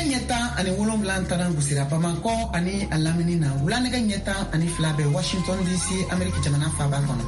Nɛgɛ ɲɛ 17 taara gosira Bamakɔ ani a lamini na, wula nɛgɛ ɲɛ 12 bɛ Washington DC, Ameriki jamana faaba kɔnɔ.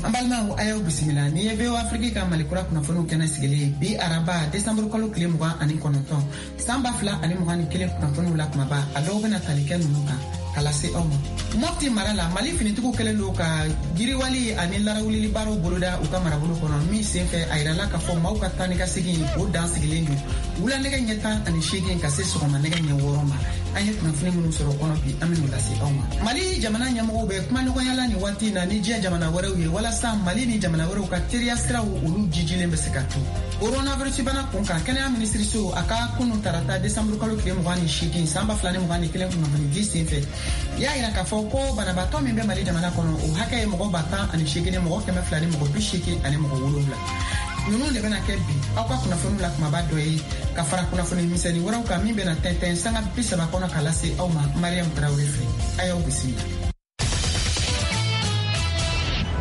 An balimaw, a y'aw bisimila. Ni ye VOA Afrique ka Malikura kunnafoniw kɛnɛ sigilen bi, araba, desanburu kalo tile 29, san 2021. Kunnafoniw la kumaba, a dɔw bɛna tali kɛ ninnu kan ka lase aw ma. Mɔpti mara la, Mali finitigiw kɛlen don ka yiriwali ani larawulili baaraw boloda u ka marabolo kɔnɔ, min senfɛ a yirala k'a fɔ maaw ka taa ni ka segin, o dan sigilen don wula nɛgɛ ɲɛ 18 ka se sɔgɔma nɛgɛ ɲɛ 6 ma. An ye kunnafoni minnu sɔrɔ kɔnɔ bi, an bɛn'o lase aw ma. Mali jamana ɲɛmɔgɔw bɛ kumaɲɔgɔnya la nin waati na ni diɲɛ jamana wɛrɛw ye, walasa Mali ni jamana wɛrɛw ka teriya siraw, olu jijilen bɛ se ka to. Coronavirus bana kun kan, kɛnɛya minisiriso a ka kunu tarata, desanburu kalo tile 28, san 2021, kunnafoni di sen fɛ, y'a yira k'a fɔ ko banabaatɔ min bɛ Mali jamana kɔnɔ, o hakɛ ye mɔgɔ 10 8,287. Ninnu de bɛna kɛ bi aw ka kunnafoniw la kumaba dɔ ye, ka fara kunnafoni misɛnni wɛrɛw kan min bɛna tɛntɛn sanga 30 kɔnɔ ka lase aw ma Mariam Tarawele fɛ. A y'aw bisimila.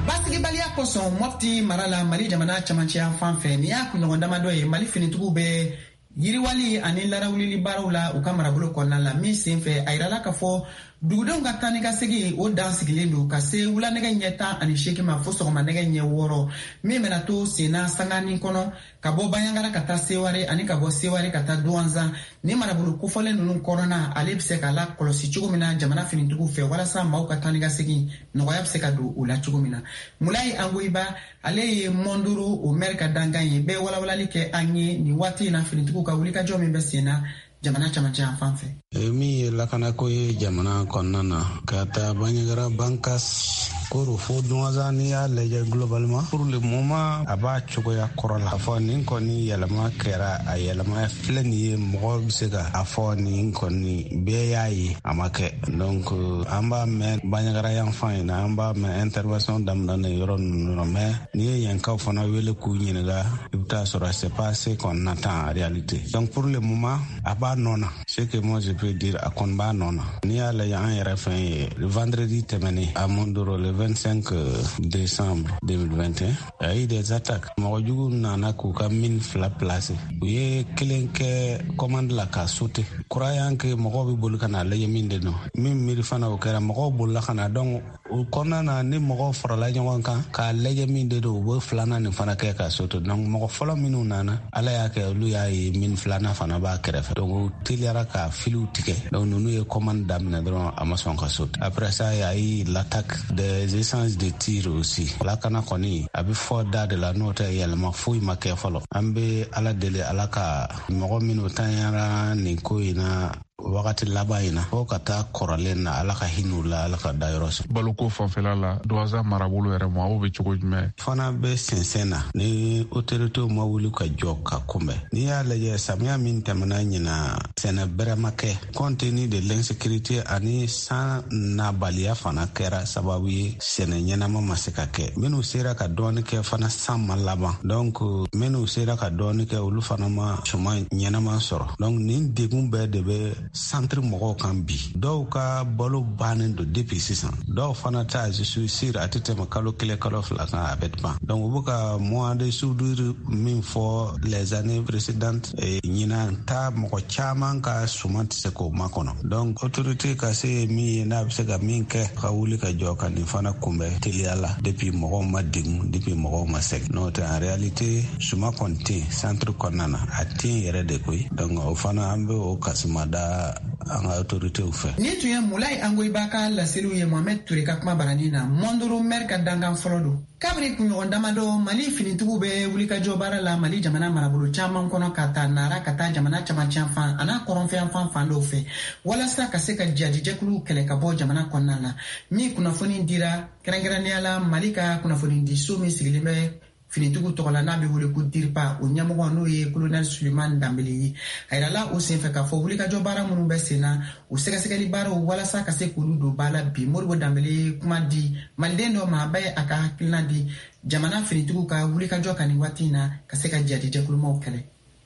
Basigibaliya kosɔn Mɔpti mara la, Mali jamana camancɛ fan fɛ, nin y'a kunɲɔgɔn damadɔ ye Mali finitigiw bɛ yiriwali ani larawulili baaraw la u ka marabolo kɔnɔna la, min sen fɛ a yirala k'a fɔ dugudenw ka taa ni ka segin, o dan sigilen don ka se wula nɛgɛ ɲɛ 18 ma fo sɔgɔma nɛgɛ ɲɛ 6, min bɛna to senna sanganin kɔnɔ ka bɔ Baɲangara ka taa Seware ani ka bɔ Seware ka taa Duwanzan. Ni marabolo kofɔlen ninnu kɔnɔna, ale bɛ se k'a la kɔlɔsi cogo min na jamana finitigiw fɛ, walasa maaw ka taa ni ka segin nɔgɔya bɛ se ka don o la cogo min na. Mulayi Angoyiba, ale ye Mɔndoro o mɛri ka dankan ye, bɛɛ walawalali kɛ an ye nin waati in na finitigiw ka wulikajɔ min bɛ sen na jamana camancɛ yan fan fɛ. Min ye lakanako ye jamana kɔnɔna na, ka taa Baɲagara, Bankas, Koro fo Duwanzan, n'i y'a lajɛ globalement, pour le moment a b'a cogoya kɔrɔ la. A fɔ nin kɔni yɛlɛma kɛra, a yɛlɛma filɛ nin ye, mɔgɔ bɛ se ka a fɔ nin kɔni bɛɛ y'a ye, a ma kɛ. Donc an b'a mɛn Baɲagara yan fan in na, an b'a mɛn intervention daminɛ yɔrɔ ninnu na, mais n'i ye yankaw fana wele k'u ɲininka, i bɛ taa sɔrɔ c'est pas ce qu'on attend en réalité. Donc pour le moment a b'a nɔ na. Ce que moi je peux dire, a kɔni b'a nɔ na. N'i y'a lajɛ, an yɛrɛ fɛn ye, vendredi tɛmɛnen à Mondoro, le 25 décembre 2021, il y a eu des attaques. Mɔgɔ jugu nana k'u ka mine fila placer. U ye kelen kɛ commande la k'a sauter, croyant que mɔgɔw bɛ boli ka na lajɛ min de don. Min miiri fana, o kɛra, mɔgɔw bolila ka na. Donc o kɔnɔna na, ni mɔgɔw farala ɲɔgɔn kan k'a lajɛ min de don, u bɛ filanan nin fana kɛ ka sauter. Donc mɔgɔ fɔlɔ minnu nana, Ala y'a kɛ olu y'a ye mine filanan fana b'a kɛrɛfɛ. Donc u teliyara ka filiw tigɛ. Donc ninnu ye commande daminɛ dɔrɔn, a ma sɔn ka sauter. Après ça, il y a eu l'attaque des échanges de tirs aussi. Lakana kɔni, a bɛ fɔ da de la, n'o tɛ yɛlɛma foyi ma kɛ fɔlɔ. An bɛ Ala deli, Ala ka mɔgɔ minnu tanyara nin ko in na wagati laban in na, fo ka taa kɔrɔlen na, Ala ka hinɛ la, Ala ka dayɔrɔ sɔn. Baloko fanfɛla la, Duwanza marabolo yɛrɛ ma, aw bɛ cogo jumɛn? Fana bɛ sɛnsɛn na ni autoritéw ma wuli ka jɔ ka kunbɛn. N'i y'a lajɛ, samiya min tɛmɛna ɲina, sɛnɛ bɛrɛ ma kɛ, compte tenu de l'insécurité ani san nabaliya fana kɛra sababu ye sɛnɛ ɲɛnama ma se ka kɛ. Minnu sera ka dɔɔni kɛ fana, san ma laban. Donc minnu sera ka dɔɔni kɛ, olu fana ma suman ɲɛnama sɔrɔ. Donc nin degun bɛɛ de bɛ centre mɔgɔw kan bi. Dɔw ka balo bannen don depuis sisan, dɔw fana ta, je suis sûr, a tɛ tɛmɛ kalo 1, kalo 2 kan, a bɛ ban. Donc u bɛ ka mois de soudure min fɔ les années précédentes, ɲinan ta mɔgɔ caman ka suman tɛ se k'o makɔnɔ. Donc autorité ka se ye min ye, n'a bɛ se ka min kɛ, ka wuli ka jɔ ka nin fana kunbɛn teliya la, depuis mɔgɔw ma degun, depuis mɔgɔw ma sɛgɛn. N'o tɛ, en réalité suma kɔni tɛ yen centre kɔnɔna na, a tɛ yen yɛrɛ de koyi. Donc o fana, an bɛ o kasima da an ka autoritéw fɛ. Nin tun ye Mulayi Angoyiba ka laseliw ye Mohamed Ture ka kuma barani na. Mɔndoro maire ka dankan fɔlɔ don. Kabiri kunɲɔgɔn damadɔ, Mali finitigiw bɛ wulikajɔ baara la Mali jamana marabolo caman kɔnɔ, ka taa Nara ka taa jamana camancɛ fan a n'a kɔrɔnfɛ fan fan dɔw fɛ, walasa ka se ka jadijɛkuluw kɛlɛ ka bɔ jamana kɔnɔna la. Min kunnafoni dira kɛrɛnkɛrɛnnenya la, Mali ka kunnafonidiso min sigilen bɛ finitigiw tɔgɔ la, n'a bɛ wele ko DIRPA, o ɲɛmɔgɔ n'o ye colonel Suleiman Danbele ye, a yirala o senfɛ k'a fɔ wulikajɔ baara minnu bɛ sen na, o sɛgɛsɛgɛli baaraw, walasa ka se k'olu don ba la bi. Modibo Danbele ye kuma di maliden dɔ ma, a bɛ a ka hakilina di jamana finitigiw ka wulikajɔ kan nin waati in na ka se ka jadijɛkulumaw kɛlɛ.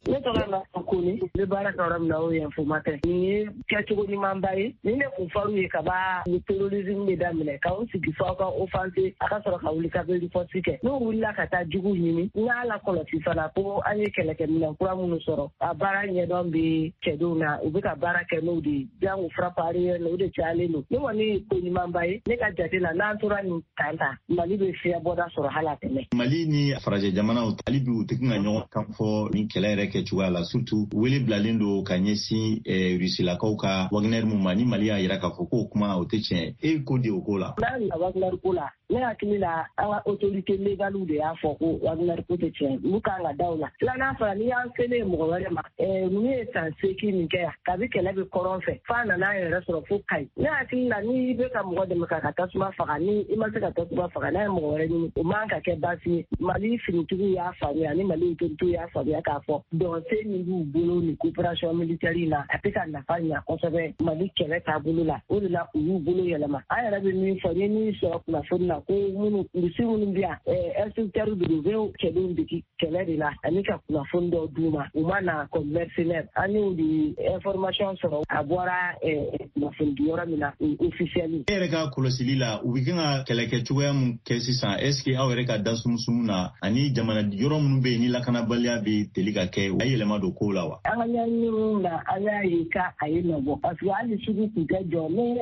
Ne tɔgɔ la Kone, ne bɛ baara kɛ yɔrɔ min na, o ye Info Matin. Nin ye kɛcogo ɲumanba ye. Ni ne kun fɔr'u ye kaba ni terrorisme bɛ daminɛ k'aw sigi fo aw ka offense, a ka sɔrɔ ka wuli ka bɛ riposte kɛ. N'u wulila ka taa juguw ɲini, n y'a lakɔlɔsi fana ko an ye kɛlɛkɛminɛn kura minnu sɔrɔ, a baara ɲɛdɔn bɛ cɛdenw na, u bɛ ka baara kɛ n'o de ye. Jango frappe aérienne, o de cayalen don. Ne kɔni ye ko ɲumanba ye. Ne ka jate la, n'an tora nin kan ta, Mali bɛ fiɲɛ bɔda sɔrɔ hali a tɛmɛ. Mali ni farajɛ jamanaw, hali bi u tɛ ka ɲɔgɔn kan fɔ ni kɛlɛ yɛrɛ kɛ cogoya la, surtout wele bilalen don ka ɲɛsin Rusilakaw ka Wagner mun ma, ni Mali y'a yira k'a fɔ k'o kuma o tɛ tiɲɛ. E ko di o ko la? N'a Wagner ko la, ne hakili la, an ka autorité légale de y'a fɔ ko Wagner ko tɛ tiɲɛ, olu kan ka da o la. Filanan fana, n'i y'an selen mɔgɔ wɛrɛ ma, ninnu ye san 8 min kɛ yan, kabi kɛlɛ bɛ kɔrɔn fɛ f'a nana yɛrɛ sɔrɔ fo Kayi. Ne hakili la, n'i bɛ ka mɔgɔ dɛmɛ k'a ka tasuma faga, ni i ma se ka tasuma faga, n'a ye mɔgɔ wɛrɛ ɲini, o man ka kɛ baasi ye. Mali finitigiw y'a faamuya ni Mali autorités y'a faamuya k'a fɔ dɔnsen min b'u bolo ni coopération militaire in na, a tɛ ka nafa ɲa kosɛbɛ Mali kɛlɛ taabolo la. O de la u y'u bolo yɛlɛma. An yɛrɛ bɛ min fɔ, n ye min sɔrɔ kunnafoni na, ko minnu Rusi minnu bɛ yan, instructeur de don, u bɛ cɛdenw degi kɛlɛ de la ani ka kunnafoni dɔw d'u ma. U ma na comme mercenaire. An y'o de information sɔrɔ, a bɔra kunnafoni di yɔrɔ min na, officiel. E yɛrɛ ka kɔlɔsili la, u bɛ kan ka kɛlɛkɛ cogoya mun kɛ sisan, est ce que aw yɛrɛ ka da sumusumu na ani jamana yɔrɔ minnu bɛ yen ni lakanabaliya bɛ teli ka kɛ, a ye yɛlɛma don kow la wa? An ka ɲɛɲiniw na, an y'a ye k'a a ye nɔ bɔ, parce que hali sugu tun tɛ jɔ ni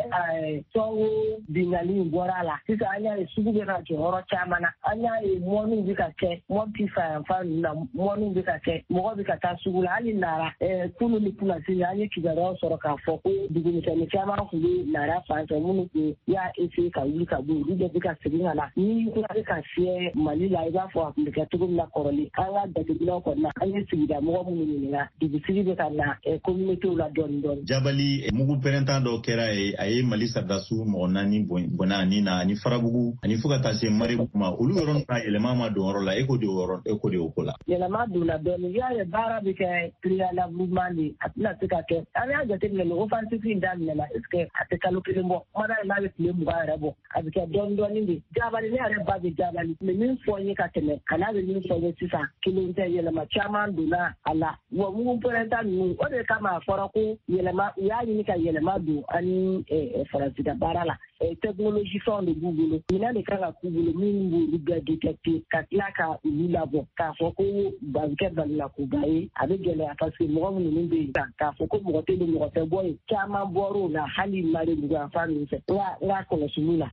Sɔngo binkanni in bɔra a la. Sisan an y'a ye sugu bɛ ka jɔ yɔrɔ caman na. An y'a ye mɔniw bɛ ka kɛ Mɔpti fanfan ninnu na, mɔniw bɛ ka kɛ, mɔgɔ bɛ ka taa sugu la. Hali Nara, kunu ni kunnasini, an ye kibaruyaw sɔrɔ k'a fɔ ko dugumisɛnnin caman tun bɛ Nara fan fɛ minnu tun y'a essayer ka wuli ka bɔ yen, olu bɛɛ bɛ ka segin ka na. Ni kura bɛ ka fiyɛ Mali la, i b'a fɔ a tun bɛ kɛ cogo min na kɔrɔlen. An ka jateminɛw kɔni na, an ye sigida mɔgɔ minnu ɲininka, dugusigi bɛ ka na communauté la dɔɔni dɔɔni. Jabali, mugu pɛrɛntan dɔ kɛra ye, a ye Mali sɔrɔdasiw mɔgɔ 4 bɔnna ani na ani Farabugu ani fo ka taa se Maribugu ma. Olu yɔrɔ na, yɛlɛma ma don yɔrɔ la. E ko de o yɔrɔ, e ko de o ko la? Yɛlɛma donna dɔɔni. I y'a ye, baara bɛ kɛ préalablement de, a tɛna se ka kɛ. An y'a jateminɛ, ni offensive in daminɛna, est ce que a tɛ kalo kelen bɔ, kumada n'a bɛ tile 20 yɛrɛ bɔ, a bɛ kɛ dɔɔni dɔɔni de. Jabali, ne yɛrɛ ba bɛ Jabali, mais min fɔ n ye ka tɛmɛ a n'a bɛ min fɔ n ye sisan, kelen tɛ. Yɛlɛma caman donna a la wa. Mugu pɛrɛnta ninnu, o de kama a fɔra ko yɛlɛma, u y'a ɲini ka yɛlɛma don ani Faransi ka baara la. Technologie fɛnw de b'u bolo, minɛn de kan ka k'u bolo minnu b'olu bɛɛ détecter ka tila ka olu labɔ. K'a fɔ ko a bɛ kɛ balinakoba ye, a bɛ gɛlɛya, parce que mɔgɔ minnu bɛ yen, k'a fɔ ko mɔgɔ tɛ don, mɔgɔ tɛ bɔ yen, caman bɔr'o la hali Maribugu yan ninnu fɛ, n ka kɔlɔsiliw la.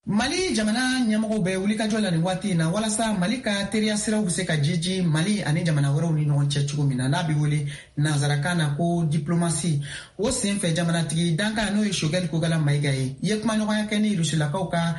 Mali jamana ɲɛmɔgɔw bɛ wulikajɔ la nin waati in na walasa Mali ka teriya siraw bɛ se ka jiji Mali ani jamana wɛrɛw ni ɲɔgɔn cɛ cogo min na, n'a bɛ wele nanzarakan na ko diplomasi. O sen fɛ, jamanatigi dankan, n'o ye Choguel Kokalla Maïga ye, i ye kumaɲɔgɔnya kɛ ni Rusilakaw ka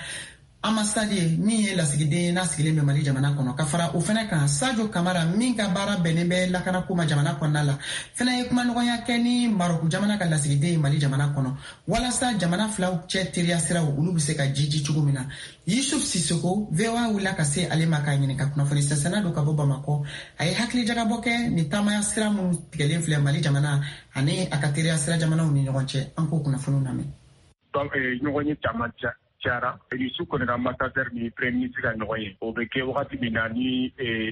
ambassade ye, min ye lasigiden ye n'a sigilen bɛ Mali jamana kɔnɔ. Ka fara o fɛnɛ kan, Sadio Kamara, min ka baara bɛnnen bɛ lakanako ma jamana kɔnɔna la, fɛnɛ ye kumaɲɔgɔnya kɛ ni Marɔku jamana ka lasigiden ye Mali jamana kɔnɔ, walasa jamana filaw cɛ teriya siraw, olu bɛ se ka jiji cogo min na. Yusuf Sisoko, VOA wulila ka se ale ma k'a ɲininka. Kunnafoni sɛnsɛnna don ka bɔ Bamakɔ. A ye hakilijagabɔ kɛ nin taamaya sira minnu tigɛlen filɛ Mali jamana ani a ka teriya sira jamanaw ni ɲɔgɔn cɛ. An k'o kunnafoniw lamɛn. Ɲɔgɔn ye caman cayara. Rusi kɔni ka ambassadeur ni premier ministre ka ɲɔgɔn ye, o bɛ kɛ wagati min na ni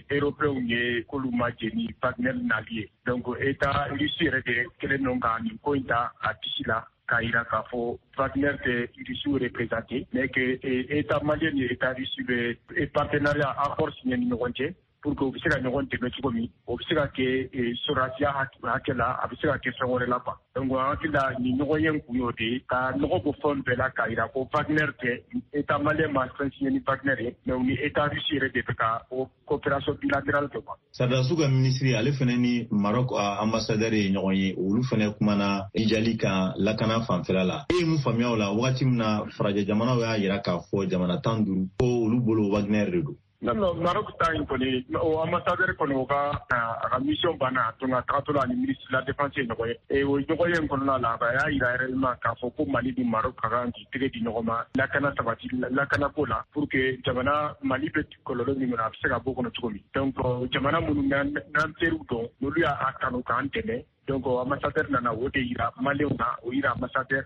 Européens ye k'olu ma jɛ ni Wagner nali ye. Donc état russe yɛrɛ de kɛlen don ka nin ko in ta a disi la k'a yira k'a fɔ Wagner tɛ Russe représenté, mais que état malien ni état russe bɛ partenariat accord signé ni ɲɔgɔn cɛ pour que u bɛ se ka ɲɔgɔn dɛmɛ cogo min. O bɛ se ka kɛ sɔrɔdasiya hakɛ la, a bɛ se ka kɛ fɛn wɛrɛ la quoi. Donc an hakili la, nin ɲɔgɔn ye kun y'o de ye, ka nɔgɔ bɔ fɛn bɛɛ la k'a yira ko Wagner tɛ, état malien ma fɛn signé ni Wagner ye, mais u ni état russe yɛrɛ de bɛ ka o coopération bilatérale kɛ quoi. Sɔrɔdasiw ka minisiri, ale fana ni Maroc ambassadeur ye ɲɔgɔn ye. Olu fana kumana jijali kan lakana fanfɛla la. E ye mun faamuya o la, wagati min na farajɛ jamanaw y'a yira k'a fɔ jamana 15 ko olu bolo Wagner de don? Non, non, Maroc ta in kɔni, o ambassadeur kɔni, o ka a ka mission banna. Donc a tagatɔ la, ani ministre de la défense ye ɲɔgɔn ye. O ɲɔgɔn ye in kɔnɔna la, a y'a yira réellement k'a fɔ ko Mali ni Maroc ka kan k'i tɛgɛ di ɲɔgɔn ma lakana sabati lakana ko la, pour que jamana Mali bɛ kɔlɔlɔ min kɔnɔ, a bɛ se ka bɔ o kɔnɔ cogo min. Donc jamana minnu n'an teriw dɔn, n'olu y'a kanu k'an dɛmɛ. Donc ambassadeur nana o de yira Maliyɛnw na, o yira ambassadeur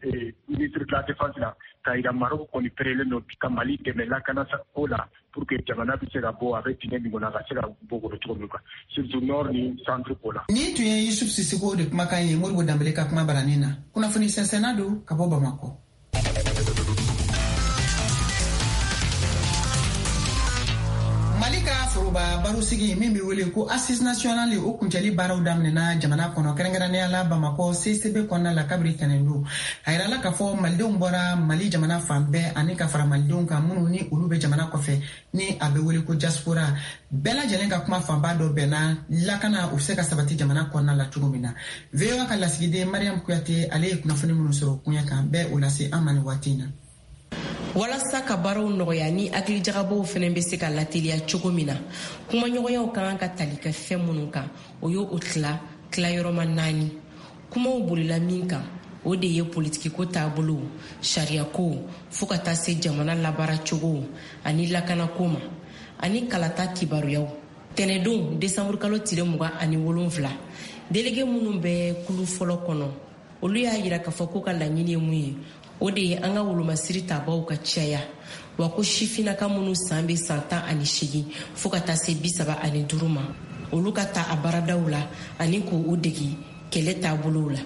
ministre de la défense la, k'a yira Maroc kɔni perelen don ka Mali dɛmɛ lakana ko la pour que jamana bɛ se ka bɔ a bɛ dingɛ min kɔnɔ a ka se ka bɔ kɔnɔ cogo min quoi, surtout nord ni centre ko la. Nin tun ye Yusuf Sisiko de kumakan ye Modibo Danbele ka kuma baranin na. Kunnafoni sɛnsɛnna don ka bɔ Bamakɔ. Mali ka foroba barosigi min bɛ wele ko Assise nationale, o kuncɛli baaraw daminɛna jamana kɔnɔ, kɛrɛnkɛrɛnnenya la Bamakɔ CCB kɔnɔna la kabiri tɛnɛndon. A yirala k'a fɔ malidenw bɔra Mali jamana fan bɛɛ ani ka fara malidenw kan minnu ni olu bɛ jamana kɔfɛ ni a bɛ wele ko diaspora. Bɛɛ lajɛlen ka kuma fanba dɔ bɛnna lakana u bɛ se ka sabati jamana kɔnɔna la cogo min na. VOA ka lasigiden Mariam Kuyate, ale ye kunnafoni minnu sɔrɔ koɲɛ kan bɛɛ o lase an ma nin waati in na. Walasa ka baaraw nɔgɔya ni hakilijagabɔw fɛnɛ bɛ se ka lateliya cogo min na, kumaɲɔgɔnyaw ka kan ka tali kɛ fɛn minnu kan, o ye o tila tilayɔrɔma 4. Kumaw bolila min kan, o de ye politikiko taabolow, sariyako, fo ka taa se jamana labaaracogow ani lakanako ma, ani kalata kibaruyaw. Tɛnɛdon desanburukalo tile 27, delege minnu bɛ kulu fɔlɔ kɔnɔ, olu y'a yira k'a fɔ k'u ka laɲini ye mun ye, o de ye an ka wolomasiri tabaw ka caya, wa ko sifinnaka minnu san bɛ san 18 fo ka taa se 35 ma, olu ka ta a baaradaw la ani k'u degi kɛlɛ taabolow la.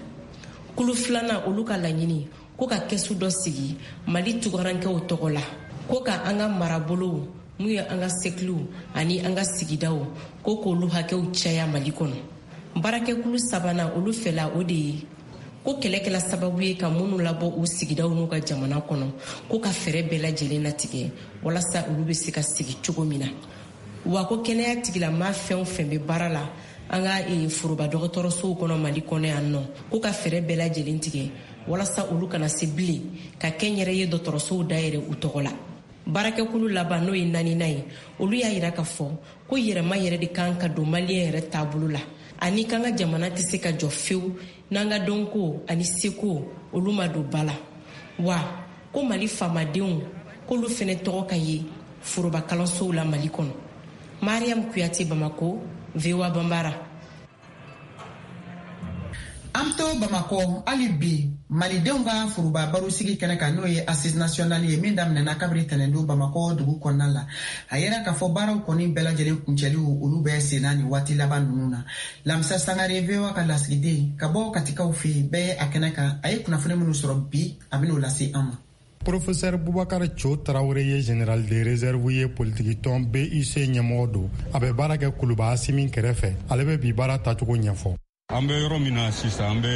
Kulu filanan, olu ka laɲini ko ka kɛsu dɔ sigi Mali tugarankɛw tɔgɔ la, ko ka an ka marabolow mun ye an ka sɛkiliw ani an ka sigidaw, ko k'olu hakɛw caya Mali kɔnɔ. Baarakɛkulu sabanan, olu fɛla o de ye ko kɛlɛ kɛla sababu ye ka minnu labɔ u sigidaw n'u ka jamana kɔnɔ, ko ka fɛɛrɛ bɛɛ lajɛlen latigɛ walasa olu bɛ se ka sigi cogo min na. Wa ko kɛnɛya tigilamaa fɛn o fɛn bɛ baara la an ka foroba dɔgɔtɔrɔsow kɔnɔ Mali kɔnɔ yan nɔ, ko ka fɛɛrɛ bɛɛ lajɛlen tigɛ walasa olu kana se bilen ka kɛnyɛrɛye dɔgɔtɔrɔsow dayɛlɛ u tɔgɔ la. Baarakɛkulu laban, n'o ye 4nan ye, olu y'a yira k'a fɔ ko yɛrɛma yɛrɛ de kan ka don maliyɛn yɛrɛ taabolo la, ani k'an ka jamana tɛ se ka jɔ fewu n'an ka dɔnko ani seko olu ma don ba la. Wa ko Mali faamadenw k'olu fɛnɛ tɔgɔ ka ye foroba kalansow la Mali kɔnɔ. Mariam Kuyate, Bamako, VOA Bambara. An to Bamakɔ hali bi, malidenw ka foroba barosigi kɛnɛ kan, n'o ye Assise nationale ye min daminɛna kabiri tɛnɛndon Bamakɔ dugu kɔnɔna la. A yera k'a fɔ baaraw kɔni bɛɛ lajɛlen kuncɛliw olu bɛ senna nin waati laban ninnu na. Lamisa Sangare, VOA ka lasigiden ka bɔ Katikaw fɛ yen, bɛɛ a kɛnɛ kan, a ye kunnafoni minnu sɔrɔ bi, a bɛn'o lase an ma. Professeur Boubacar Cho Traoré ye général de réserve ye, politikitɔn BUC ɲɛmɔgɔ don. A bɛ baara kɛ Kuluba Asimi kɛrɛfɛ. Ale bɛ bi baara tacogo ɲɛfɔ. An bɛ yɔrɔ min na sisan, an bɛ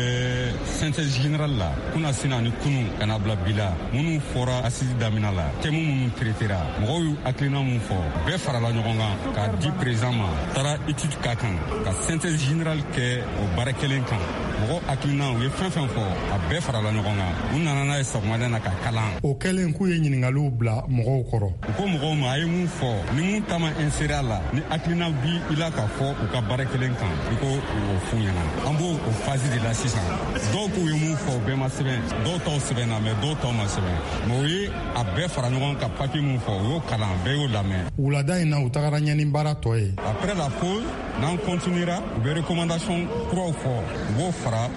synthèse générale la. Kunna sini ani kunu ka na bila bi la, minnu fɔra assise daminɛ la, thème minnu traitera, mɔgɔw y'u hakilina mun fɔ, bɛɛ farala ɲɔgɔn kan k'a di président ma, taara étude k'a kan, ka synthèse générale kɛ o baara kelen kan. Mɔgɔ hakilina, u ye fɛn fɛn fɔ, a bɛɛ farala ɲɔgɔn kan, u nana n'a ye sɔgɔmada na ka kalan. O kɛlen, k'u ye ɲiningaliw bila mɔgɔw kɔrɔ. U ko mɔgɔw ma, a ye mun fɔ, ni mun ta ma insérer a la, ni hakilina bi i la k'a fɔ u ka baara kelen kan, i ko o f'u ɲɛna. An b'o o phase de la sisan. Dɔw k'u ye mun fɔ, o bɛɛ ma sɛbɛn. Dɔw taw sɛbɛnna, mais dɔw taw ma sɛbɛn. Mais o ye a bɛɛ fara ɲɔgɔn kan, papier mun fɔ, u y'o kalan, bɛɛ y'o lamɛn. Wulada in na, u tagara ɲɛ ni baara tɔ ye. Après la pause, n'an continuera, u bɛ recommandation kuraw fɔ, u b'o fara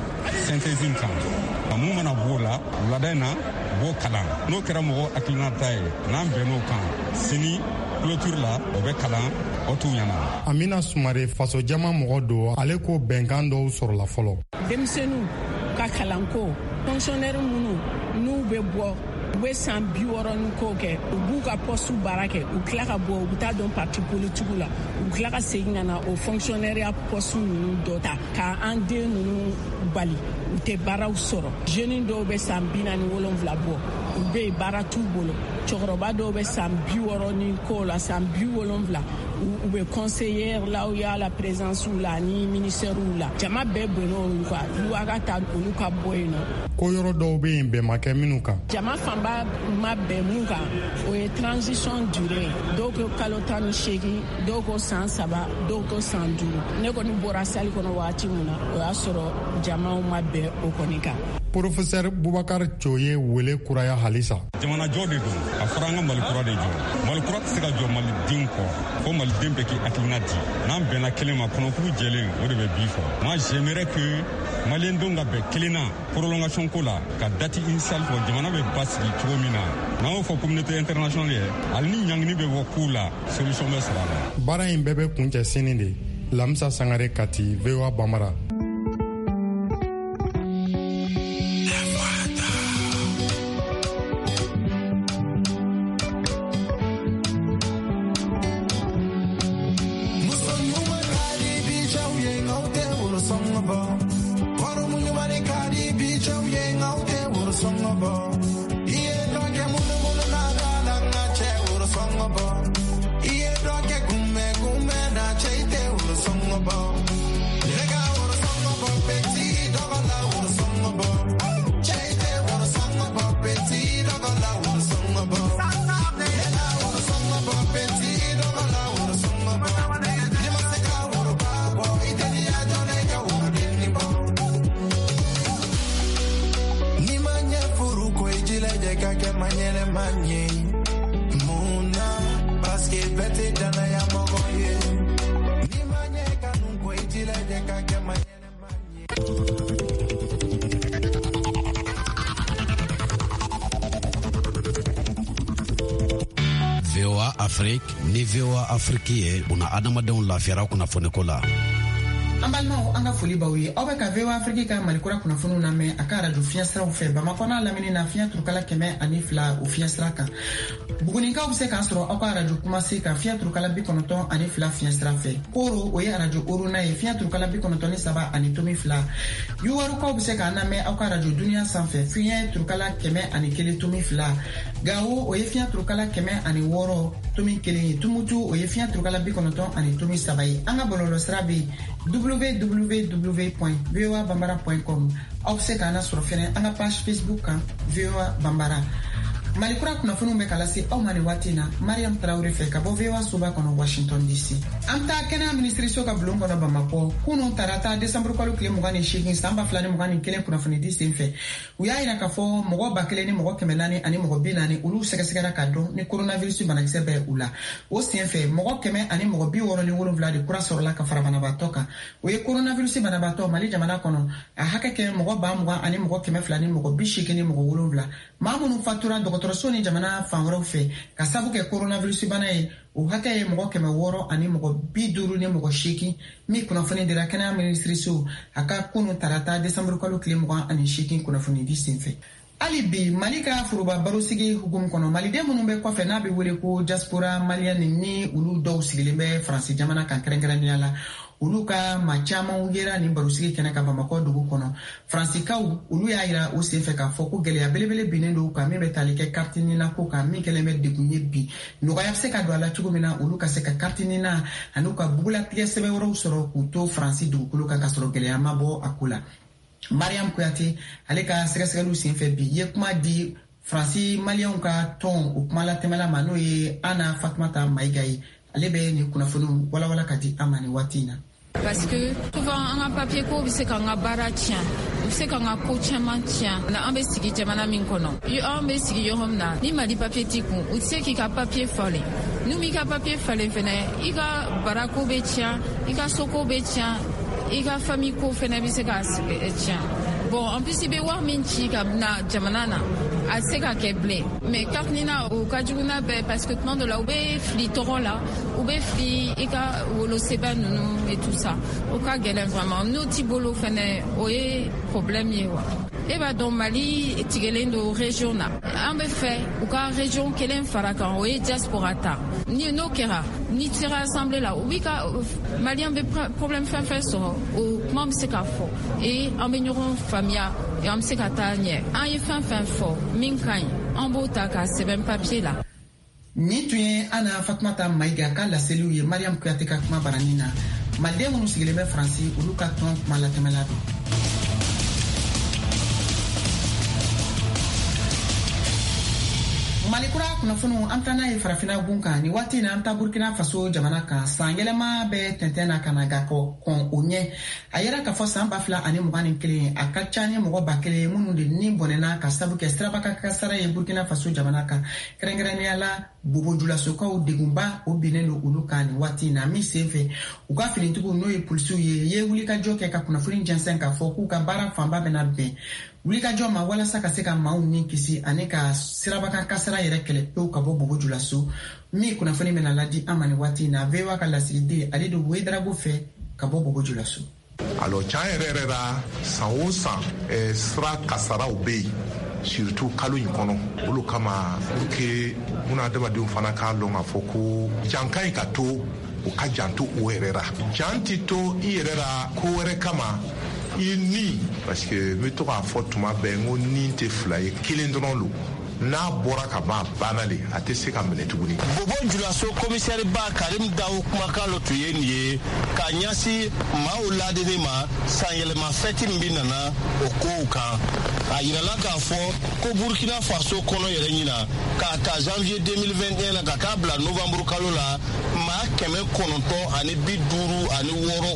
synthèse in kan. Mun mana b'o la wulada in na, u b'o kalan. N'o kɛra mɔgɔ hakilina ta ye, n'an bɛnn'o kan, sini clôture la, o bɛ kalan o t'u ɲɛna. Amina Sumare, fasojama mɔgɔ don. Ale ko bɛnkan dɔw sɔrɔla fɔlɔ. Denmisɛnninw ka kalanko, fonctionnaire minnu n'u bɛ bɔ, u bɛ san 60 ni ko kɛ, u b'u ka poste baara kɛ, u tila ka bɔ, u bɛ taa don parti politique la, u tila ka segin ka na o fonctionnaire poste ninnu dɔ ta k'an den ninnu bali, u tɛ baaraw sɔrɔ. Jeune dɔw bɛ san 47 bɔ, u bɛ yen, baara t'u bolo. Cɛkɔrɔba dɔw bɛ san 60 ni ko la, san 70, u bɛ conseillère la, u y'a la présidence la ani ministère la. Jama bɛɛ bɔnna olu kan, loi ka ta olu ka bɔ yen nɔ. Ko yɔrɔ dɔw bɛ yen, bɛn ma kɛ minnu kan. Jama fanba ma bɛn mun kan, o ye transition durée. Dɔw ko kalo 18, dɔw ko san 3, dɔw ko san 5. Ne kɔni bɔra salle kɔnɔ waati min na, o y'a sɔrɔ jamaw ma bɛn o kɔni kan. Professeur Boubacar Cho ye wele kuraya halisa. Jamanajɔ de don. A fɔra an ka Mali kura de jɔ. Mali kura tɛ se ka jɔ malidenw kɔ fo. Maliden bɛɛ k'i hakilina di. N'an bɛnna kelen ma, kɔnɔkuru jɛlen, o de bɛ bi fɔ. Moi, j'aimerais que Maliyɛndenw ka bɛn kelen na prolongation ko la, ka date initiale fɔ, jamana bɛ basigi cogo min na. N'an y'o fɔ communauté internationale ye, hali ni ɲangini bɛ bɔ kow la, solution bɛ sɔrɔ a la. Baara in bɛɛ bɛ kuncɛ sini de. Lamisa Sangare, Kati, VOA Bambara. VOA Afrique ni VOA Afrique ye buna adamadenw lafiyara kunnafoniko la. An balimaw, an ka foli b'aw ye. Aw bɛ ka VOA Afrique ka Malikura kunnafoniw lamɛn a ka arajo fiɲɛsiraw fɛ, Bamakɔ n'a lamini na, fiɲɛ turukala 102 o fiɲɛsira kan. Buguninkaw bɛ se k'an sɔrɔ aw ka arajo Kumase kan, fiɲɛ turukala 92 fiɲɛsira fɛ. Koro, o ye arajo Oruna ye, fiɲɛ turukala 93.2. Yuwarukaw bɛ se k'an lamɛn aw ka arajo Duniya sanfɛ, fiɲɛ turukala 101.2. Gawo, o ye fiɲɛ turukala 106.1 ye. Tumutu, o ye fiɲɛ turukala 90.3 ye. An ka bɔlɔlɔsira bɛ yen, www.voabambara.com. Aw bɛ se k'an lasɔrɔ fɛnɛ an ka page Facebook kan, VOA Bambara. Malikura kunnafoniw bɛ ka lase aw ma nin waati na Mariam Tarawele fɛ, ka bɔ VOA soba kɔnɔ, Washington DC. An bɛ taa kɛnɛya minisiriso ka bulon kɔnɔ Bamakɔ. Kunun tarata, desanburu kalo tile 28, san 2021, kunnafonidi sen fɛ, u y'a yira k'a fɔ mɔgɔ 1440, olu sɛgɛsɛgɛra ka dɔn ni coronavirus banakisɛ bɛ u la. O sen fɛ, mɔgɔ 167 de kura sɔrɔla ka fara banabaatɔ kan. O ye coronavirus banabaatɔ Mali jamana kɔnɔ a hakɛ kɛ mɔgɔ 20287. Maa minnu fatura dɔgɔtɔrɔso ni jamana fan wɛrɛw fɛ ka sabu kɛ coronavirus bana ye, o hakɛ ye mɔgɔ 658, min kunnafoni dira kɛnɛya minisiriso a ka kunu tarata, desanburu kalo tile 28, kunnafonidi senfɛ. Hali bi, Mali ka foroba barosigi hukumu kɔnɔ, maliden minnu bɛ kɔfɛ, n'a bɛ wele ko diaspora malienne, ni olu dɔw sigilen bɛ Faransi jamana kan kɛrɛnkɛrɛnnenya la, olu ka maa camanw yera nin barosigi kɛnɛ ka Bamakɔ dugu kɔnɔ. Faransikaw olu y'a yira o senfɛ k'a fɔ ko gɛlɛya belebele binnen don kan, min bɛ tali kɛ carte NINA ko kan, min kɛlen bɛ degun ye bi. Nɔgɔya bɛ se ka don a la cogo min na, olu ka se ka carte NINA ani ka bugulatigɛ sɛbɛn wɛrɛw sɔrɔ k'u to Faransi dugukolo kan, ka sɔrɔ gɛlɛya ma bɔ a ko la. Mariam Kuyate, ale ka sɛgɛsɛgɛliw senfɛ bi, ye kuma di Faransi Maliyɛnw ka tɔn o kuma latɛmɛla ma, n'o ye Ana Fatumata Mayiga ye. Ale bɛ nin kunnafoniw walawala ka di an ma nin waati in na. Parce que souvent an ka papier ko bɛ se k'an ka baara tiɲɛ, u bɛ se k'an ka ko caman tiɲɛ. An bɛ sigi jamana min kɔnɔ, an bɛ sigi yɔrɔ min na, ni Mali papier t'i kun, u tɛ se k'i ka papier falen. N'u m'i ka papier falen fɛnɛ, i ka barako bɛ tiɲɛ, i ka soko bɛ tiɲɛ, i ka famille ko fɛnɛ bɛ se ka tiɲɛ. Bon, en plus, i bɛ wari min ci ka na jamana na, a tɛ se ka kɛ bilen. Mais carte NINA, o ka jugu n'a bɛɛ, parce que tuma dɔ la, u bɛ fili tɔgɔ la, u bɛ fili i ka wolosɛbɛn ninnu et tout ça. O ka gɛlɛn vraiment. N'o t'i bolo fɛnɛ, o ye problème ye wa. E b'a dɔn, Mali tigɛlen don région na. An bɛ fɛ u ka région kelen fara kan, o ye diaspora ta. Ni n'o kɛra, ni sera assemblée la, u b'i ka Malien bɛ problème fɛn fɛn sɔrɔ, o kuma bɛ se ka fɔ et an bɛ ɲɔgɔn faamuya et an bɛ se ka taa ɲɛ. An ye fɛn fɛn fɔ min ka ɲi, an b'o ta k'a sɛbɛn papier la. Nin tun ye Ana Fatumata Mayiga ka laseliw ye Mariam Kuyate ka kuma barani na. Maliden minnu sigilen bɛ Faransi, olu ka tɔn kuma latɛmɛla don. Malikura kunnafoniw, an taa n'a ye Farafina gun kan nin waati na. An taa Burkina Faso jamana kan. San yɛlɛma bɛ tɛntɛn na ka na, ga kɔn o ɲɛ, a yɛrɛ k'a fɔ san 2021, a ka ca ni mɔgɔ 1000 ye minnu de ni bɔnɛna ka sabu kɛ sirabaka kasara ye Burkina Faso jamana kan, kɛrɛnkɛrɛnnenya la. Bobo Julasokaw degunba o binnen don olu kan nin waati in na, min senfɛ u ka finitigiw n'o ye polisiw ye wulikajɔ kɛ ka kunnafoni jɛnsɛn k'a fɔ k'u ka baara fanba bɛna bɛn wulikajɔ ma walasa ka se ka maaw ni kisi ani ka sirabakan kasara yɛrɛ kɛlɛ pewu ka bɔ Bobo Julaso. Min kunnafoni bɛna ladi an ma nin waati in na, VOA ka lasigiden Alidu Wedrago fɛ ka bɔ Bobo Julaso. Alors tiɲɛ yɛrɛ yɛrɛ la, san o san sira kasaraw bɛ yen, surtout kalo in kɔnɔ. Olu kama, pour que bunadamadenw fana k'a lɔn k'a fɔ ko jan ka ɲi ka to, u ka janto o yɛrɛ la. Jan tɛ to i yɛrɛ la ko wɛrɛ kama i ni, parce que n bɛ to k'a fɔ tuma bɛɛ n ko ni tɛ fila ye, kelen dɔrɔn don. N'a bɔra ka ban, a banna le, a tɛ se ka minɛ tuguni. Bobo Julaso komisɛriba Karim Dawo kumakan lo tun ye nin ye ka ɲɛsin maaw ladeni ma sanyɛlɛma fɛti min bɛ nana o kow kan. A yirala k'a fɔ ko Burkina Faso kɔnɔ yɛrɛ ɲina, k'a ta janvier 2021 la ka taa bila novembre kalo la, maa 956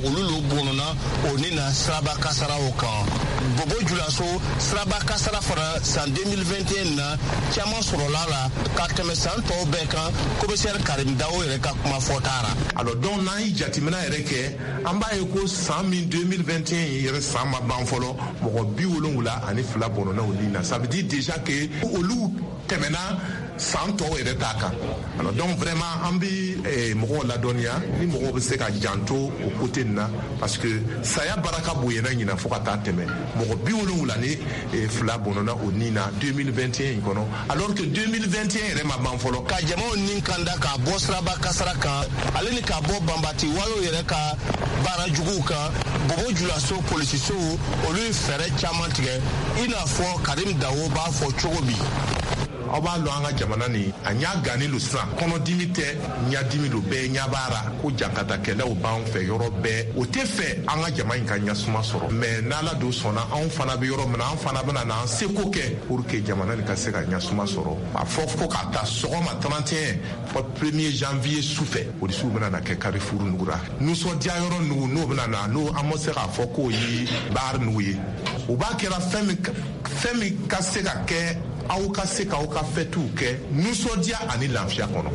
olu lo bɔnɔna o ni na siraba kasaraw kan. Bobo Julaso siraba kasara fana san 2021 na caman sɔrɔla la ka tɛmɛ san tɔw bɛɛ kan, komisɛri Karim Dawo yɛrɛ ka kuma fɔta ra. Alors donc n'an ye jateminɛ yɛrɛ kɛ, an b'a ye ko san min 2021 yɛrɛ, san ma ban fɔlɔ, mɔgɔ 72 bɔnɔna o ni na. Ça veut dire déjà que olu tɛmɛna san tɔw yɛrɛ t'a kan. Alors donc vraiment an bɛ mɔgɔw ladɔnniya ni mɔgɔw bɛ se ka janto o côté nin na, parce que saya baraka bonyana ɲina fo ka taa tɛmɛ. Mɔgɔ 72 bɔnɔna o ni na 2021 in kɔnɔ, alors que 2021 yɛrɛ ma ban fɔlɔ. Ka jamaw ni kanda k'a bɔ siraba kasara kan, ale ni k'a bɔ banbati walew yɛrɛ ka baara juguw kan, Bobo Julaso polisisow olu ye fɛɛrɛ caman tigɛ, i n'a fɔ Karim Dawo b'a fɔ cogo min. Aw b'a lɔn an ka jamana nin a ɲa gannen lo sisan. Kɔnɔdimi tɛ, ɲadimi lo, bɛɛ ɲa b'a ra ko jankatakɛlaw b'an fɛ yɔrɔ bɛɛ. O tɛ fɛ an ka jama in ka ɲasuma sɔrɔ, mais n'Ala don sɔnna, anw fana bɛ yɔrɔ min na, an fana bɛna n'an seko kɛ pour que jamana nin ka se ka ɲasuma sɔrɔ. A fɔ fo ka taa sɔgɔma 31 fɔ 1er janvier su fɛ, polisiw bɛna na kɛ carrefour nugu ra. Nisɔndiya yɔrɔ nugu n'o bɛna na, n'o an bɛ se k'a fɔ k'o ye bar nugu ye. O b'a kɛra fɛn min ka se ka kɛ, aw ka se k'aw ka fɛtiw kɛ nisɔndiya ani lafiya kɔnɔ.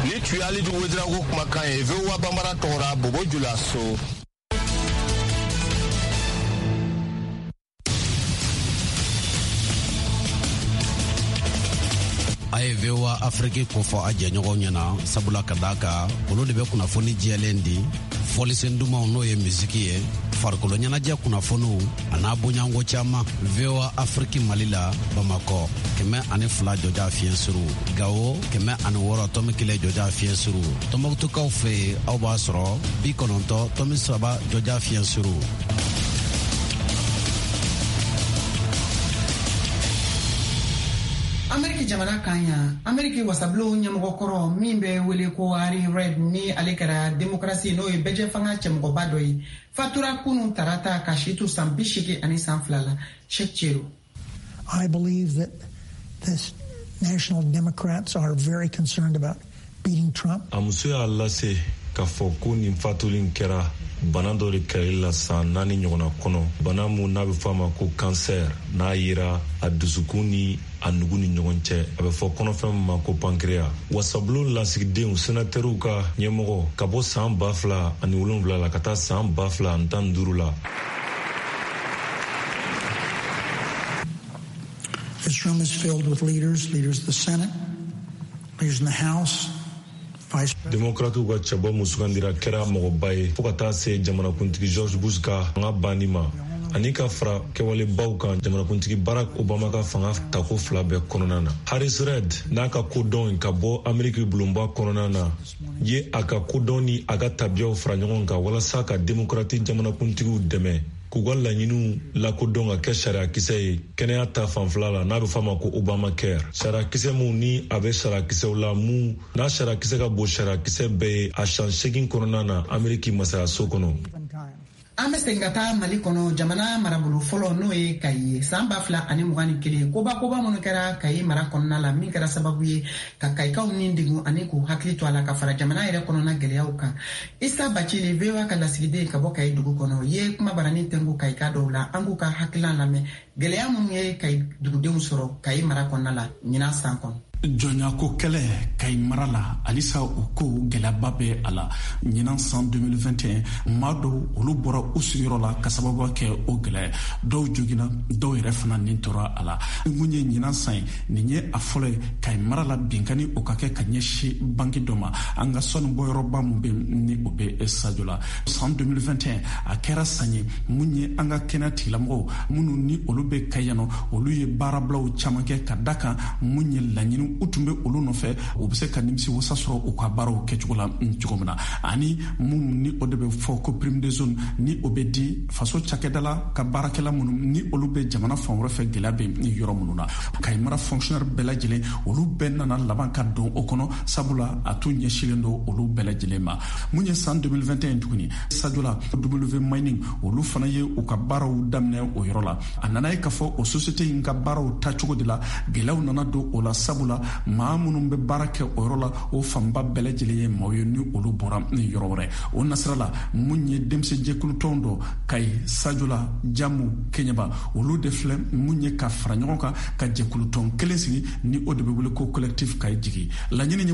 Ni tun ye Alidu Wedrago kumakan ye VOA Bambara tɔgɔ la, Bobo Julaso. A ye VOA Afrique kofɔ a jɛɲɔgɔnw ɲɛna, sabula ka d'a kan olu de bɛ kunnafoni jɛlen di, fɔlisen dumanw n'o ye misiki ye, farikolo ɲɛnajɛ kunnafoniw a n'a bonyanko caman. VOA Afrique Mali la, Bamakɔ 102 jɔja fiɲɛ suru, Gawo 106.1 jɔja fiɲɛ suru, Tɔnbɔkutukaw fɛ yen aw b'a sɔrɔ 90.3 jɔja fiɲɛ suru. Ameriki jamana kan yan, Ameriki wasabulon ɲɛmɔgɔkɔrɔ min bɛ wele ko Harry Reid, ni ale kɛra demokarasi n'o ye bɛjɛ fanga cɛmɔgɔba dɔ ye, fatura kunun tarata ka si to san 82 la. Cheikh Chero. I believe that the National Democrats are very concerned about beating Trump. A muso y'a lase k'a fɔ ko nin fatuli in kɛra bana dɔ de kɛlɛli la san 4 ɲɔgɔnna kɔnɔ, bana mun n'a bɛ fɔ a ma ko kansɛr, n'a yera a dusukun ni a nugu ni ɲɔgɔn cɛ, a bɛ fɔ kɔnɔfɛn min ma ko pankreya. Wasabulon lasigidenw senatɛriw ka ɲɛmɔgɔ ka bɔ san 2007 la ka taa san 2015 la. This room is filled with leaders, leaders of the Senate, leaders in the House. Demokratiw ka cɛbɔ mun sugandira kɛra mɔgɔba ye fo ka taa se jamanakuntigi George Bush ka fanga banni ma, ani ka fara kɛwalebaw kan jamanakuntigi Barack Obama ka fanga tako 2 bɛɛ kɔnɔna na. Harris Reid n'a ka kodɔn ka bɔ Ameriki bulonba kɔnɔna na ye a ka kodɔn ni a ka tabiyaw fara ɲɔgɔn kan walasa ka demokrati jamanakuntigiw dɛmɛ k'u ka laɲiniw lakodɔn ka kɛ sariyakisɛ ye kɛnɛya ta fanfɛla la, n'a bɛ fɔ a ma ko Obamacare. Sariyakisɛ mun ni a bɛ sariyakisɛw la, mun n'a sariyakisɛ ka bon sariyakisɛ bɛɛ ye a san 8 kɔnɔna na Ameriki masayaso kɔnɔ. An bɛ segin ka taa Mali kɔnɔ, jamana marabolo fɔlɔ n'o ye Kayi ye. San 2021, koba koba minnu kɛra Kayi mara kɔnɔna la, min kɛra sababu ye ka Kayikaw ni degun ani k'u hakili to a la ka fara jamana yɛrɛ kɔnɔna gɛlɛyaw kan. Isa Bacili, VOA ka lasigiden ka bɔ Kayi dugu kɔnɔ, ye kuma barani tɛnku Kayika dɔw la. An k'u ka hakilina lamɛn gɛlɛya minnu ye Kayi dugudenw sɔrɔ Kayi mara kɔnɔna la ɲinan san kɔnɔ. Jɔnyako kɛlɛ Kayi mara la, halisa o ko gɛlɛyaba bɛ a la. Ɲinan san 2021, maa dɔw olu bɔra u sigiyɔrɔ la ka sababu kɛ o gɛlɛya. Dɔw jogina, dɔw yɛrɛ fana nin tora a la. Mun ye ɲinan san ye, nin ye a fɔlɔ ye Kayi mara la binkanni o ka kɛ ka ɲɛsin banki dɔ ma, an ka sanu bɔyɔrɔba mun bɛ ni o bɛ Sajo la. San 2021 a kɛra san ye mun ye an ka kɛnɛya tigilamɔgɔw minnu ni olu bɛ Kayi yan nɔ, olu ye baarabilaw caman kɛ ka da kan mun ye laɲini u tun bɛ olu nɔfɛ, u bɛ se ka nimisi wasa sɔrɔ u ka baaraw kɛcogo la cogo min na. Ani mun ni o de bɛ fɔ ko prime de zone, ni o bɛ di faso cakɛdala ka baarakɛla minnu ni olu bɛ jamana fan wɛrɛ fɛ, gɛlɛya bɛ yɔrɔ minnu na. Kayi mara fonctionnaire bɛɛ lajɛlen, olu bɛɛ nana laban ka don o kɔnɔ, sabula a tun ɲɛsinnen don olu bɛɛ lajɛlen ma. Mun ye san 2021 tuguni, Sajola W Mining, olu fana ye u ka baaraw daminɛ o yɔrɔ la. A nana ye k'a fɔ o société in ka baaraw taacogo de la gɛlɛyaw nana don o la, sabula maa minnu bɛ baara kɛ o yɔrɔ la, o fanba bɛɛ lajɛlen ye maaw ye ni olu bɔra yɔrɔ wɛrɛ. O nasira la, mun ye denmisɛn jɛkulutɔn dɔ Kayi, Sajola, Jamu, Keɲeba, olu de filɛ mun ye ka fara ɲɔgɔn kan ka jɛkulutɔn kelen sigi, ni o de bɛ wele ko collectif Kayi jigi. Laɲini ye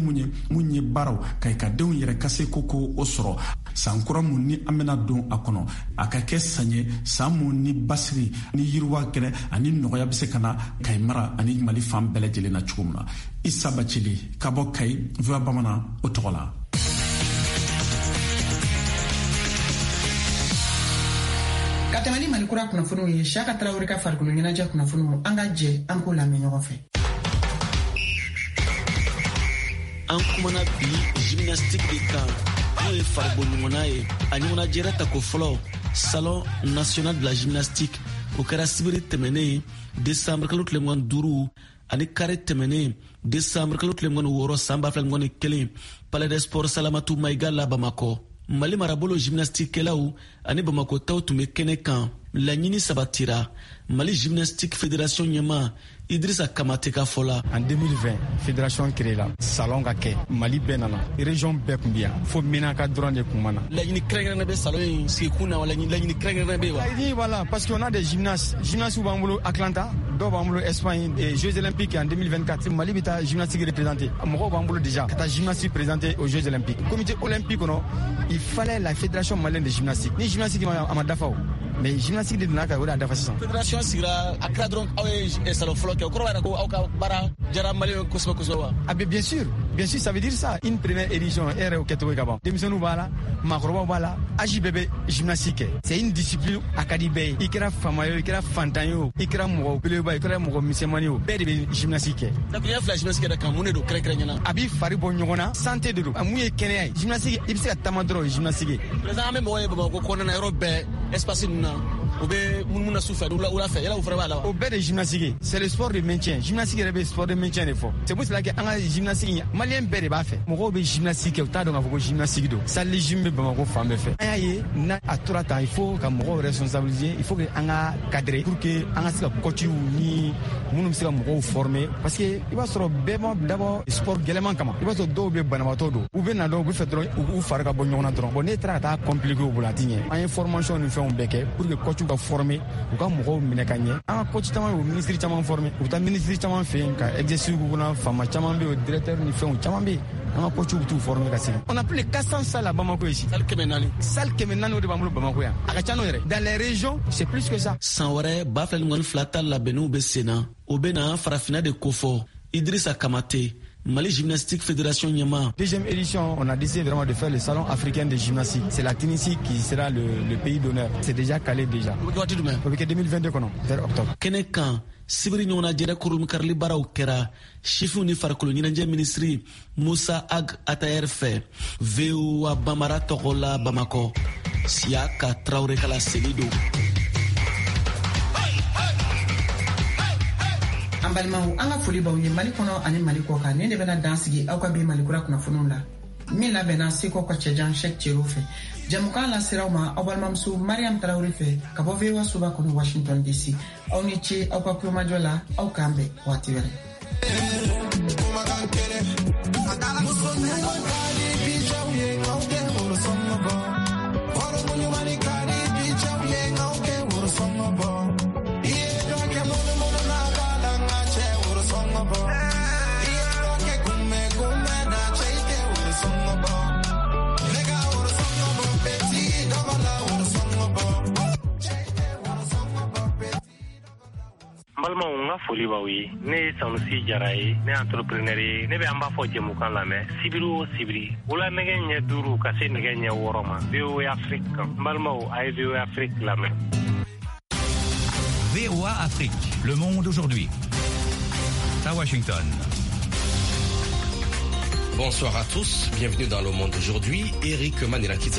mun ye baaraw Kayi ka denw yɛrɛ ka se ko o sɔrɔ. San kura mun ni an bɛna don a kɔnɔ, a ka kɛ san ye, san mun ni basigi ni yiriwa kɛnɛ ani nɔgɔya bɛ se ka na Kayi mara ani Mali fan bɛɛ lajɛlen na cogo min na. Isa Bacili ka bɔ Kayi, VOA Bamanan o tɔgɔ la. Ka tɛmɛ ni Mali kura kunnafoniw ye, Siyaka Tarawele ka farikolo ɲɛnajɛ kunnafoniw, an ka jɛ an k'o lamɛn ɲɔgɔn fɛ. An kumana bi gymnastique de kan, n'o ye faribɔ ɲɔgɔnna ye. A ɲɔgɔnnajɛrɛ tako fɔlɔ, Salon national de la gymnastique, o kɛra sibiri tɛmɛnen décembre kalo tile 25 ani kari tɛmɛnen décembre kalo tile 26 san 2021, Palais des Sports Salamatu Mayiga la, Bamakɔ. Mali marabolo gymnastique-kɛlaw ani Bamakɔ taw tun bɛ kɛnɛ kan. Laɲini sabatira, Mali Gymnastique Fédération ɲɛma Idrissa Kamate ka fɔ la. En 2020, fédération créé la, salon ka kɛ, Mali bɛɛ nana, région bɛɛ kun bi yan, fo Menaka dɔrɔn de kun ma na. Laɲini kɛrɛnkɛrɛnnen bɛ salon in sigikun na wa, laɲini kɛrɛnkɛrɛnnen bɛ yen wa? Laɲini, voilà, parce qu'on a des gymnastes, gymnastes b'an bolo Atlanta, dɔw b'an bolo Espagne, et Jeux olympiques en 2024, Mali bɛ taa gymnastique représenter. Mɔgɔw b'an bolo déjà ka taa gymnastique présenter aux Jeux olympiques. Comité olympique kɔnɔ, il fallait la fédération malienne de gymnastique. Ni gymnastique ma, a ma dafa o. Mais gymnastique de donna ka o de y'a dafa sisan. Fédération sigira, a kɛra dɔrɔn aw ye salon fɔlɔ kɛ, o kɔrɔ b'a jira ko aw ka baara diyara Maliyɛnw kosɛbɛ kosɛbɛ wa? Ah ben bien sûr, bien sûr, ça veut dire ça. Une première édition, e yɛrɛ y'o kɛcogo ye ka ban. Denmisɛnninw b'a la, maakɔrɔbaw b'a la, âge bɛɛ bɛ gymnastique kɛ. C'est une discipline a ka di bɛɛ ye. I kɛra faama ye o, i kɛra fantan ye o, i kɛra mɔgɔ belebeleba ye, i kɛra mɔgɔ misɛnmanin ye o, bɛɛ de bɛ gymnastique kɛ. Dakuruɲɛ fila gymnastique yɛrɛ kan, mun de don kɛrɛnkɛrɛnnenya la? A b'i fari bɔ ɲɔgɔn na, santé de don. Mun ye kɛnɛya ye. Gymnastique, i bɛ se ka taama dɔrɔn, o ye gymnastique ye. Président, an bɛ mɔgɔ ye Bamakɔ kɔnɔna na, yɔrɔ bɛɛ, espace ninnu na, u bɛ munumunu na su fɛ, wula fɛ, yala o fana b'a la wa? O bɛɛ de ye gymnastique ye. C'est le sport de maintien. Gymnastique yɛrɛ bɛ sport de maintien de fɔ. C'est pour cela que an ka gymnastique, Maliyɛn bɛɛ de b'a fɛ. Mɔgɔw bɛ gymnastique kɛ, u t'a dɔn k'a fɔ ko gymnastique don. Salle de gym bɛ Bamakɔ fan bɛɛ fɛ. An y'a ye n'a a tora tan, il faut ka mɔgɔw responsabiliser, il faut que an ka cadrer pour que an ka se ka coachw ni minnu bɛ se ka mɔgɔw former, parce que i b'a sɔrɔ bɛɛ ma dabɔ sport gɛlɛman kama. I b'a sɔrɔ dɔw bɛ banabaatɔ don, u bɛ na dɔrɔn, u bɛ fɛ dɔrɔn u fari ka bɔ ɲɔgɔn na dɔrɔn. Bon, n'e taara ka taa compliquer u bolo, a ti ɲɛ. An ye formation ni fɛnw bɛɛ kɛ pour que coachw ka former, u ka mɔgɔw minɛ ka ɲɛ. An ka coach caman bɛ, u ministre caman former, u bɛ taa ministre caman fɛ yen ka exercice k'u kunna, faama caman bɛ yen, directeur ni fɛnw caman bɛ yen, an ka coachw bɛ t'u former ka segin. On a plus de 400 salles à Bamako ici. Salle 400. Salle 400, o de b'an bolo Bamako yan. A ka ca n'o yɛrɛ. Dans les régions, c'est plus que ça. San wɛrɛ 2022 ta labɛnniw bɛ sen na, o bɛ na farafinna de kofɔ. Idrissa Kamate, Mali Gymnastique Fédération ɲɛma. Deuxième édition, on a décidé vraiment de faire le salon africain de gymnastique. C'est la Tunisie qui sera le pays d'honneur. C'est déjà calé déjà. O bɛ kɛ waati jumɛn? O bɛ kɛ 2022 kɔnɔ, vers octobre. Kɛnɛ kan, sibiri ɲɔgɔnnajɛrɛ kurunkarili baaraw kɛra sifinw ni farikolo ɲɛnajɛ minisiri Musa Ag Atayer fɛ. VOA Bamara tɔgɔ la, Bamakɔ, Siyaka Tarawele ka laseli don. An balimaw, an ka foli b'aw ye Mali kɔnɔ ani Mali kɔ kan. Nin de bɛna dan sigi aw ka bi Mali kura kunnafoniw la, min labɛnna Seko ka cɛjan Shek Cero fɛ. Jamukan laseraw ma aw balimamuso Mariam Tarawele fɛ ka bɔ VOA soba kɔnɔ, Washington DC. Aw ni ce aw ka kulomajɔ la, aw k'an bɛn waati wɛrɛ. Muso ɲuman ka di bi cɛw ye, aw tɛ worosɔngɔ bɔ. Hɔrɔn ɲuman ka di bi cɛw ye, aw tɛ worosɔngɔ bɔ. I ye dɔ kɛ munumunu na k'a la, n ka cɛ worosɔngɔ bɔ. I ye dɔ N ka foli b'aw ye. Ne ye Sanusi Jara ye, ne entrepreneur ye. Ne bɛ an b'a fɔ jɛmukan lamɛn sibiri o sibiri, wula nɛgɛ ɲɛ 5 ka se nɛgɛ ɲɛ 6 ma, VOA Afrique kan. N balimaw, a ye VOA Afrique lamɛn. VOA Afrique, le monde aujourd'hui. À Washington. Bonsoir à tous, bienvenue dans le monde aujourd'hui. Eric Manirakiza.